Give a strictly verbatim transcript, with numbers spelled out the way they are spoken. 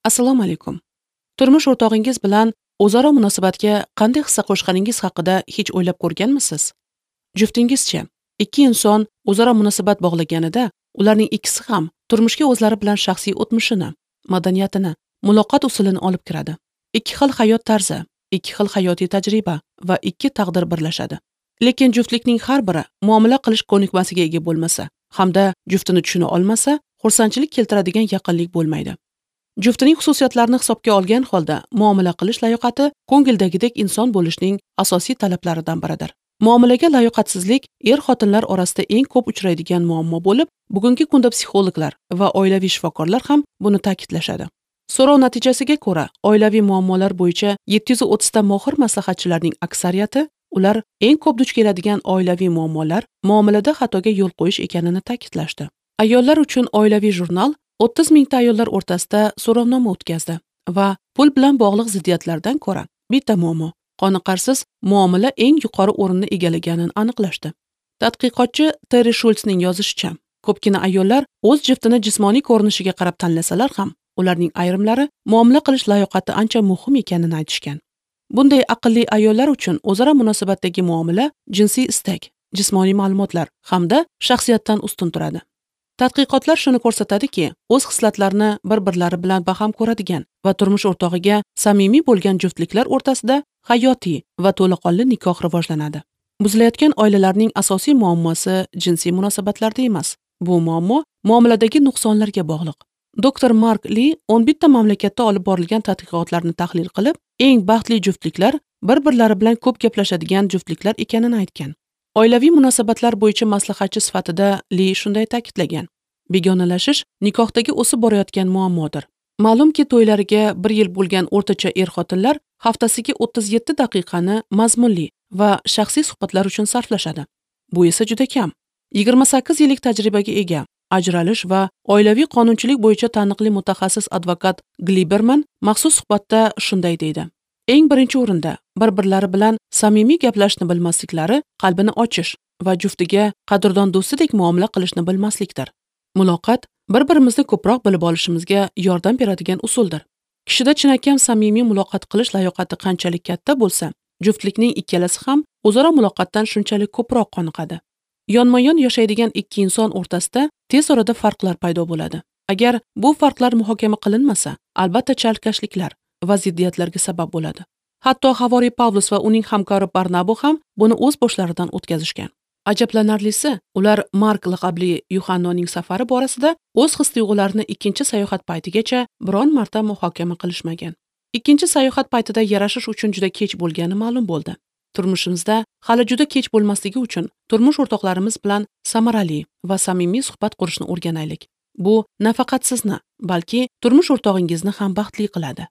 Assalomu alaykum. Turmush o'rtog'ingiz bilan o'zaro munosabatga qanday hissa qo'shganingiz haqida hech o'ylab ko'rganmisiz? Juftingizchi, ikki inson o'zaro munosabat bog'laganida, ularning ikkisi ham turmushga o'zlari bilan shaxsiy o'tmishini, madaniyatini, muloqot usulini olib kiradi. Ikki xil hayot tarzi, ikki xil hayotiy tajriba va ikki taqdir birlashadi. Lekin juftlikning har biri muomala qilish ko'nikmasiga ega bo'lmasa hamda juftini tushuna olmasa, xursandchilik keltiradigan yaqinlik bo'lmaydi. Juftining xususiyatlarini hisobga olgan holda muomala qilish layoqati ko'ngildagidek inson bo'lishning asosiy talablaridan biridir. Muomalaga layoqatsizlik er-xotinlar orasida eng ko'p uchraydigan muammo bo'lib, bugungi kunda psixologlar va oilaviy shifokorlar ham buni ta'kidlashadi. So'rov natijasiga ko'ra, oilaviy muammolar bo'yicha yetti yuz o'ttiz ta mohir maslahatchilarning aksariyati ular eng ko'p duch keladigan oilaviy muammolar muomalada xatoga yo'l qo'yish ekanini ta'kidlashdi. Ayollar uchun oilaviy jurnal o'ttiz mingta ayollar o'rtasida so'rovnoma o'tkazdi va pul bilan bog'liq ziddiyatlardan ko'ra bitta muammo qoniqarsiz muomala eng yuqori o'rinni egallaganini aniqlashdi. Tadqiqotchi Terri Shultsning yozishicha, ko'pgina ayollar o'z jiftini jismoniy ko'rinishiga qarab tanlasalar ham, ularning ayrimlari muomala qilish layoqati ancha muhim ekanini aytishgan. Bunday aqlli ayollar uchun o'zaro munosabatdagi muomala jinsiy istak, jismoniy ma'lumotlar hamda shaxsiyatdan ustun turadi. Tadqiqotlar shuni ko'rsatadiki, o'z xislatlarini bir-birlari bilan baham ko'radigan va turmush o'rtog'iga samimiy bo'lgan juftliklar o'rtasida hayotiy va to'laqonli nikoh rivojlanadi. Buzilayotgan oilalarning asosiy muammosi jinsiy munosabatlarda emas. Bu muammo muomaladagi nuqsonlarga bog'liq. Doktor Mark Li o'n bitta mamlakatda olib borilgan tadqiqotlarni tahlil qilib, eng baxtli juftliklar bir-birlari bilan ko'p gaplashadigan juftliklar ekanini aytgan. Oilaviy munosabatlar bo'yicha maslahatchi sifatida Li shunday ta'kidlagan: begonalashish nikohdagi o'sib borayotgan muammodir. Ma'lumki, to'ylariga bir yil bo'lgan o'rtacha er-xotinlar haftasiga o'ttiz yetti daqiqani mazmunli va shaxsiy suhbatlar uchun sarflashadi. Bu esa juda kam. yigirma sakkiz yillik tajribaga ega ajralish va oilaviy qonunchilik bo'yicha taniqli mutaxassis advokat Gliberman maxsus suhbatda shunday deydi: eng birinchi o'rinda bir-birlari bilan samimiy gaplashishni bilmasliklari qalbini ochish va juftiga qadrdon do'stidek muomala qilishni bilmaslikdir. Muloqot bir-birimizni ko'proq bilib olishimizga yordam beradigan usuldir. Kishida chinakam samimiy muloqot qilish layoqati qanchalik katta bo'lsa, juftlikning ikkalasi ham o'zaro muloqotdan shunchalik ko'proq qoniqadi. Yonma-yon yashaydigan ikki inson o'rtasida tez orada farqlar paydo bo'ladi. Agar bu farqlar muhokama qilinmasa, albatta chalkashliklar va ziddiyatlarga sabab bo'ladi. Hatto Havoriy Pavlus va uning hamkori Barnabo ham buni o'z boshlaridan o'tkazishgan. Ajablanarlisi, ular Mark laqabli Yuhannoning safari borasida o'z his-tuyg'ularini ikkinchi sayohat paytigacha biron marta muhokama qilishmagan. Ikkinchi sayohat paytida yarashish uchun juda kech bo'lgani ma'lum bo'ldi. Turmushimizda hali juda kech bo'lmasligi uchun turmush o'rtoqlarimiz bilan samarali va samimiy suhbat qurishni o'rganaylik. Bu nafaqat sizni, balki turmush o'rtog'ingizni ham baxtli qiladi.